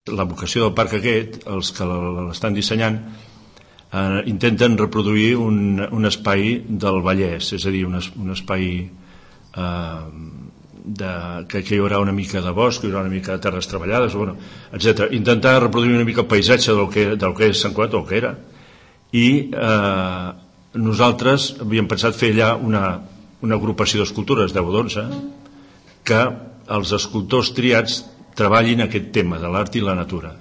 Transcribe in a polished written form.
La vocació del parc aquest, els que l'estan dissenyant, intenten reproduir un espai del Vallès, és a dir, un espai que hi haurà una mica de bosc, hi haurà una mica de terres treballades, etc. Intentar reproduir una mica el paisatge del que és Sant Cugat, o que era, i nosaltres havíem pensat fer allà una agrupació d'escultures, 10 o 11, que els escultors triats treballin aquest tema de l'art i la natura.